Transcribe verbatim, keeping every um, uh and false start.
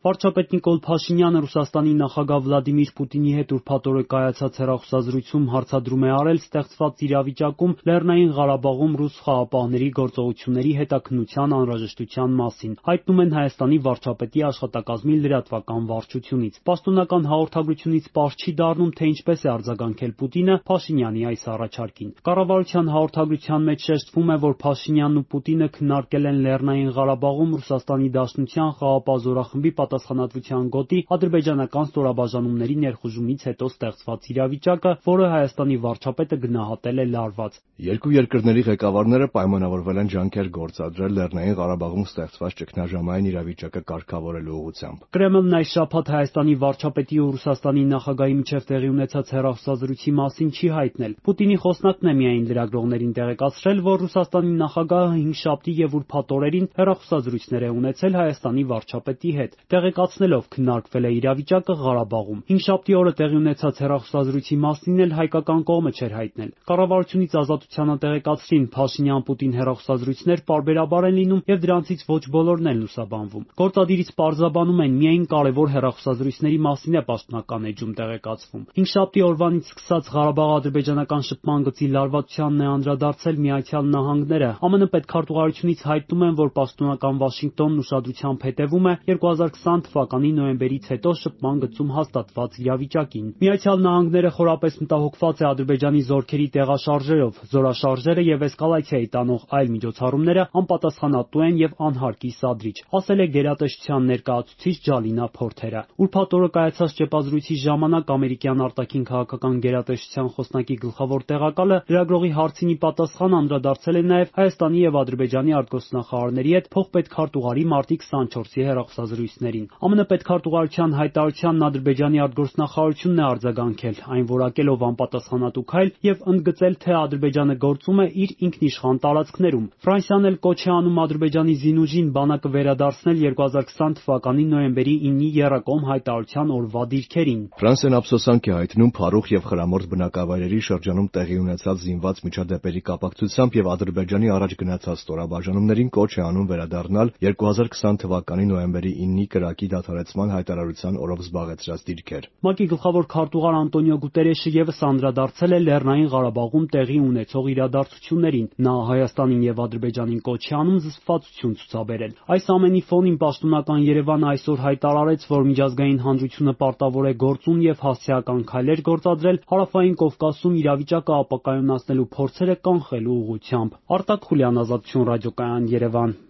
Վարչապետ Նիկոլ Փաշինյանը Ռուսաստանի նախագահ Վլադիմիր Պուտինի հետ ուրբաթ օրը կայացած հեռախոսազրույցում հարցադրում է արել ստեղծված իրավիճակում Լեռնային Ղարաբաղում ռուս խաղաղապահների գործողությունների հետաքննության անհրաժեշտության մասին, հայտնում են Հայաստանի վարչապետի աշխատակազմի լրատվական վարչությունից։ Պաշտոնական հաղորդագրությունից պարզ չի դառնում, թե ինչպես է արձագանքել Պուտինը Փաշինյանի այս առաջարկին։ Կառավարության հաղորդագրության մեջ շեշտվում է, որ Փաշինյանն ու Պուտինը քննարկել են Լեռնային Ղարաբաղում Ռուսաստանի Դաշնության խաղաղապահ զորախմբի պատասխանատվության գոտի ադրբեջանական ստորաբաժանումների ներխուժումից հետո ստեղծված իրավիճակը, որը Հայաստանի վարչապետը գնահատել է լարված։ Երկու երկրների ղեկավարները պայմանավորվել են ջանքեր գործադրել Լեռնային Ղարաբաղում ստեղծված ճգնաժամային իրավիճակը կարգավորելու ուղղությամբ։ Կրեմլն այս շաբաթ Հայաստանի վարչապետի ու Ռուսաստանի նախագահի միջև տեղի ունեցած հեռախոսազրույցի մասին չի հայտնել։ Պուտինի խոսնակն է միայն լրագրողներին տեղեկացրել, որ Ռուսաստանի նախագահը հինգշաբթի եւ ուրբաթ օրերին հեռախոսազրույցներ է ունեցել Հայաստանի վարչապետի հետ, տեղեկացնելով քննարկվել է իրավիճակը Ղարաբաղում։ Հինգշաբթի օրը տեղի ունեցած հեռախոսազրույցի մասին էլ հայկական կողմը չէր հայտնել։ Կառավարությունից Ազատությանը տեղեկացրին, Փաշինյան-Պուտին հեռախոսազրույցներ պարբերաբար են լինում եւ դրանցից ոչ բոլորն են լուսաբանվում։ Գործադիրից պարզաբանում են, միայն կարևոր հեռախոսազրույցների մասին է պաշտոնական էջում տեղեկացվում։ Հինգշաբթի օրվանից սկսած Ղարաբաղ-ադրբեջանական շփման գծի լարվածությանն է անդրադարձել Միացյալ Նահանգները։ ԱՄՆ պետքարտուղարությունից հայտնում են, որ պաշտոնական Վաշինգտոնն ուշադրությամբ հետևում է երկու հազար քսան թվականի նոյեմբերից հետո շփման գծում հաստատված իրավիճակին։ Միացյալ Նահանգները խորապես մտահոգված է Ադրբեջանի զորքերի տեղաշարժերով, զորաշարժերը եւ էսկալացիայի տանող այլ միջոցառումները անպատասխանատու են եւ անհարկի սադրիչ, ասել է գերատեսչության ներկայացուցիչ Ջալինա Փորթերը։ Ուրբաթ օրը կայացած ճեպազրույցի ժամանակ ամերիկյան արտաքին քաղաքական գերատեսչության խոսնակի գլխավոր տեղակալը լրագրողի հարցին ի պատասխան անդրադարձել է նաեւ Հայաստանի եւ Ադրբեջանի արտգործնախարարների հետ փոխպետքարտուղարի մարտի քսանչորսի հեռախոսազրույցներին։ ԱՄՆ պետքարտուղարության հայտարարությանն Ադրբեջանի արտգործնախարարությունն է արձագանքել, այն որակելով անպատասխանատու քայլ եւ ընդգծել, թե Ադրբեջանը գործում է իր ինքնիշխան տարածքներում։ Ֆրանսիան էլ կոչ է անում Ադրբեջանի զինուժին բանակը վերադարձնել երկու հազար քսան թվականի նոյեմբերի իննի եռակողմ հայտարարության օրվա դիրքերին։ Ֆրանսիան ափսոսանք է հայտնում Փարուխ եւ Խրամորդ բնակավայրերի շրջանում տեղի ունեցած զինված միջադեպերի կապակցությամբ եւ Ադրբեջանի առաջ գնացած ստորաբաժանումներին կոչ է անում վերադառնալ երկու հազար քսան թվականի նոյեմբերի իննի կրակի դադարեցման հայտարարության օրով զբաղեցրած դիրքեր։ ՄԱԿ-ի գլխավոր քարտուղար Անտոնիո Գուտերեշը եւս անդրադարձել է Լեռնային Ղարաբաղում տեղի ունեցող իրադարձություններին։ Նա Հայաստանին եւ Ադրբեջանին կոչ է անում զսպվածություն ցուցաբերել։ Այս ամենի ֆոնին պաշտոնական Երևանը այսօր հայտարարեց, որ միջազգային հանրությունը պարտավոր է գործուն եւ հասցեական քայլեր գործադրել Հարավային Կովկասում իրավիճակը ապակայունացնելու փորձերը կանխելու ուղղությամբ։ Արտակ Խուլյան, Ազատություն ռադիոկայան, Երևան։